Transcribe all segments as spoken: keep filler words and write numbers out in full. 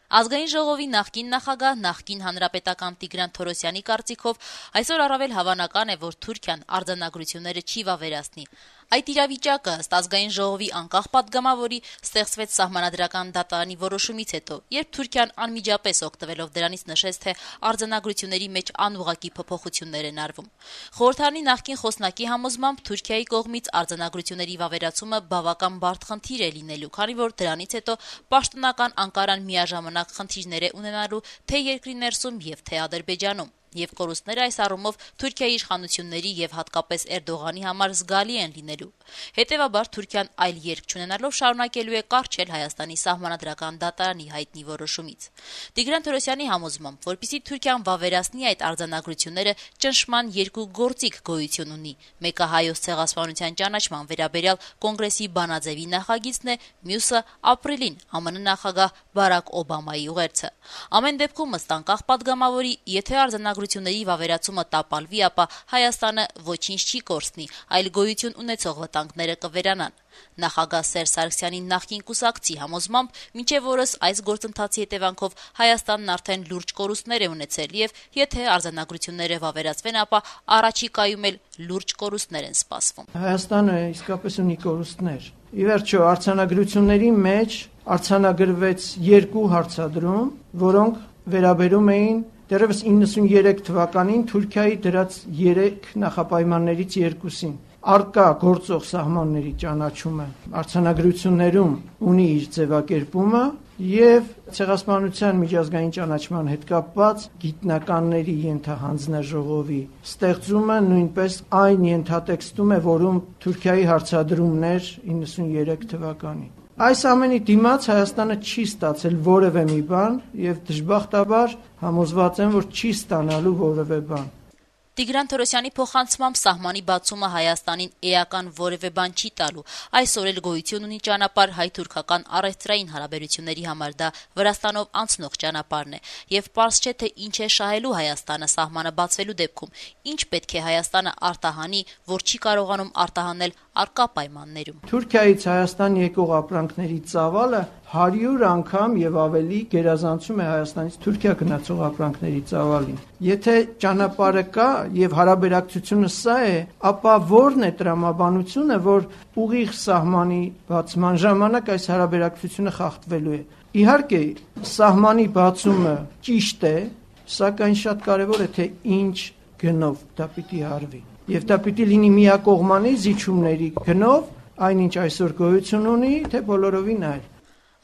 Ազգային ժողովի նախկին նախագահ, նախկին հանրապետական Տիգրան Թորոսյանի կարծիքով այսօր առավել հավանական է, որ Թուրքիան արձանագրությունները չի վավերացնի։ Այդ իրավիճակը ըստ Ազգային ժողովի անկախ պատգամավորի ստեղծվեց Սահմանադրական դատարանի որոշումից հետո, երբ Թուրքիան անմիջապես օգտվելով դրանից նշեց, թե արձանագրությունների մեջ անուղղակի փոփոխություններ են արվում։ Խորհրդարանի նախկին խոսնակի համոզմամբ Թուրքիայի կողմից արձանագրությունների վավերացումը բավական բարդ խնդիր է լինելու, քանի որ դրանից հետո պաշտոնական Անկարան միաժամանակ խնդիրներ է ունենալու թե երկրի ներսում եւ թե Ադրբեջանում։ Եվ կորուստները այս առումով Թուրքիայի իշխանությունների եւ հատկապես Էրդողանի համար զգալի են լինելու։ Հետևաբար Թուրքիան այլ ելք չունենալով շարունակելու է կառչել Հայաստանի Սահմանադրական դատարանի հայտնի որոշումից։ Տիգրան Թորոսյանի համոզմամբ, որպեսզի Թուրքիան վավերացնի այդ արձանագրությունները, ճնշման երկու գործիք գոյություն ունի։ Մեկը հայոց ցեղասպանության ճանաչման վերաբերյալ կոնգրեսի բանաձևի նախագիծն է, մյուսը ապրիլին ԱՄՆ նախագահ Բարակ Օբամայի ուղերձը։ Ամեն դեպքում ըստ անկախ պատգամավորի, եթե արձանագրությունների վավերացումը տապալվի, ապա Հայաստանը ոչինչ չի կորցնի, այլ գոյություն ունեցող վտանգները կվերանան։ Նախագահ Սերժ Սարգսյանի նախկին կուսակցի համոզմամբ, մինչև օրս այս գործընթացի հետևանքով Հայաստանն արդեն լուրջ կորուստներ է ունեցել եւ եթե արձանագրությունները վավերացվեն, ապա առաջիկայում էլ լուրջ կորուստներ են սպասվում։ Հայաստանը իսկապես ունի կորուստներ։ Ի վերջո, արձանագրությունների մեջ արձանագրվեց երկու հարցադրում, որոնք վերաբերում էին դեռևս իննսուներեք թվականին Թուրքիայի դրած երեք նախապայմաններից երկուսին։ Արկա գործող սահմանների ճանաչումը արձանագրություններում ունի իր ձևակերպումը եւ ցեղասպանության միջազգային ճանաչման հետ կապված գիտնականների ենթահանձնաժողովի ստեղծումը նույնպես այն ենթատեքստում է, որում Թուրքիայի հարցադրումներ իննսուներեք թվականին։ Այս ամենի դիմաց Հայաստանը չի ստացել որևէ մի բան եւ դժբախտաբար համոզված եմ, որ չի ստանալու որևէ բան։ Տիգրան Թորոսյանի փոխանցմամբ սահմանի բացումը Հայաստանին էական որևէ բան չի տալու։ Այսօր էլ գոյություն ունի ճանապարհ հայ-թուրքական առևտրային հարաբերությունների համար, դա Վրաստանով անցնող ճանապարհն է, եւ պարզ չէ, թե ինչ է շահելու Հայաստանը սահմանը բացվելու դեպքում, ինչ պետք է Հայաստանը արտահանի, որ չի կարողանում արտահանել արկա պայմաններում։ Թուրքիայից Հայաստան եկող ապրանքների ծավալը հարյուր անգամ եւ ավելի գերազանցում է Հայաստանից Թուրքիա գնացող ապրանքների ծավալին։ Եթե ճանապարհը կա եւ հարաբերակցությունը սա է, ապա ո՞րն է տրամաբանությունը, որ ուղիղ սահմանի բացման ժամանակ այս հարաբերակցությունը խախտվելու է։ Իհարկե, սահմանի բացումը ճիշտ է, սակայն շատ կարեւոր է, թե ինչ գնով դա պիտի արվի։ Եվ դա պիտի լինի միակողմանի զիջումների գնով, այնինչ այսօր գոյություն ունի, թե բոլորովին այլ։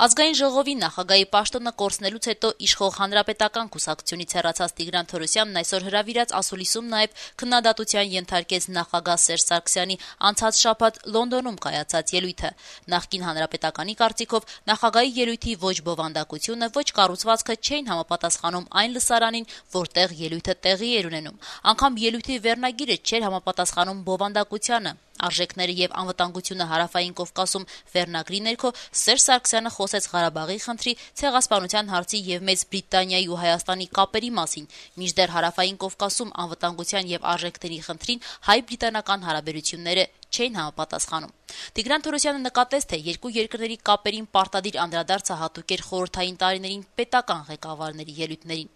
Ազգային ժողովի նախագահի պաշտոնը կորցնելուց հետո իշխող հանրապետական կուսակցությունից հեռացած Տիգրան Թորոսյանն այսօր հրավիրած ասուլիսում նաև քննադատության ենթարկեց նախագահ Սերժ Սարգսյանի անցած շաբաթ Լոնդոնում կայացած ելույթը։ Նախկին հանրապետականի կարծիքով նախագահի ելույթի ոչ բովանդակությունը, ոչ կառուցվածքը չէին համապատասխանում այն լսարանին, որտեղ ելույթը տեղի էր ունենում։ Անգամ ելույթի վերնագիրը չէր համապատասխանում բովանդակությանը։ Արժեքները եւ անվտանգությունը հարավային Կովկասում վերնագրի ներքո Սերժ Սարգսյանը խոսեց Ղարաբաղի խնդրի, ցեղասպանության հարցի եւ Մեծ Բրիտանիայի ու Հայաստանի կապերի մասին, մինչդեռ հարավային Կովկասում անվտանգության եւ արժեքների խնդրին հայ-բրիտանական հարաբերությունները չէին համապատասխանում։ Տիգրան Թորոսյանը նկատեց, թե երկու երկրների կապերին պարտադիր անդրադարձը հատուկ էր խորհրդային տարիներին պետական ղեկավարների ելույթներին։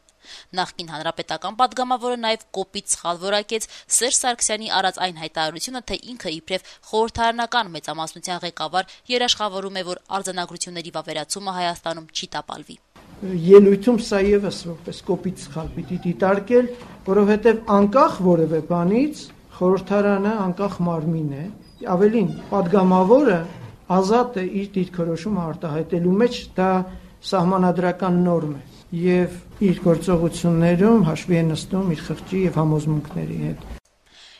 Նախկին հանրապետական պատգամավորը նաև կոպիտ սխալ որակեց Սերժ Սարգսյանի արած այն հայտարարությունը, թե ինքը իբրև խորհրդարանական մեծամասնության ղեկավար երաշխավորում է, որ արձանագրությունների վավերացումը Հայաստանում չի տապալվի։ Ելույթում սա եւս որպես կոպիտ սխալ պիտի դիտարկել, որովհետեւ անկախ որևէ բանից խորհրդարանը անկախ մարմին է, ավելին պատգամավորը ազատ է իր դիրքորոշումը արտահայտելու մեջ, դա սահմանադրական նորմ է եւ իր գործողություններում հաշվի է նստում իր խղճի եւ համոզմունքների հետ։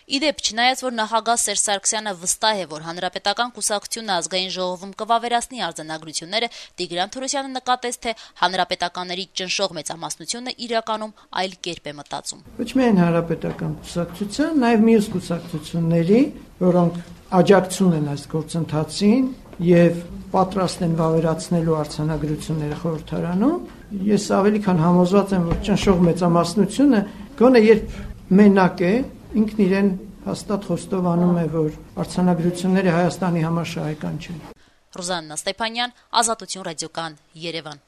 Իդեպ, չնայած որ նախագահ Սերժ Սարգսյանը վստահ է, որ հանրապետական կուսակցությունը ազգային ժողովում կվավերացնի արձանագրությունները, Տիգրան Թորոսյանը նկատեց, թե հանրապետականների ճնշող մեծամասնությունը իրականում այլ կերպ է մտածում։ Ոչ միայն հանրապետական կուսակցության, նաեւ մյուս կուսակցությունների, որոնք աջակցում են այս գործընթացին եւ պատրաստ են վավերացնելու արձանագրությունները խորհրդարանում, ես ավելի քան համոզված եմ, որ ճնշող մեծամասնությունը գոնե երբ մենակ է, ինքն իրեն հաստատ խոստովանում է, որ արձանագրությունները Հայաստանի համար շահեկան չեն։ Ռուզաննա Ստեփանյան, Ազատություն ռադիոկան, Երևան։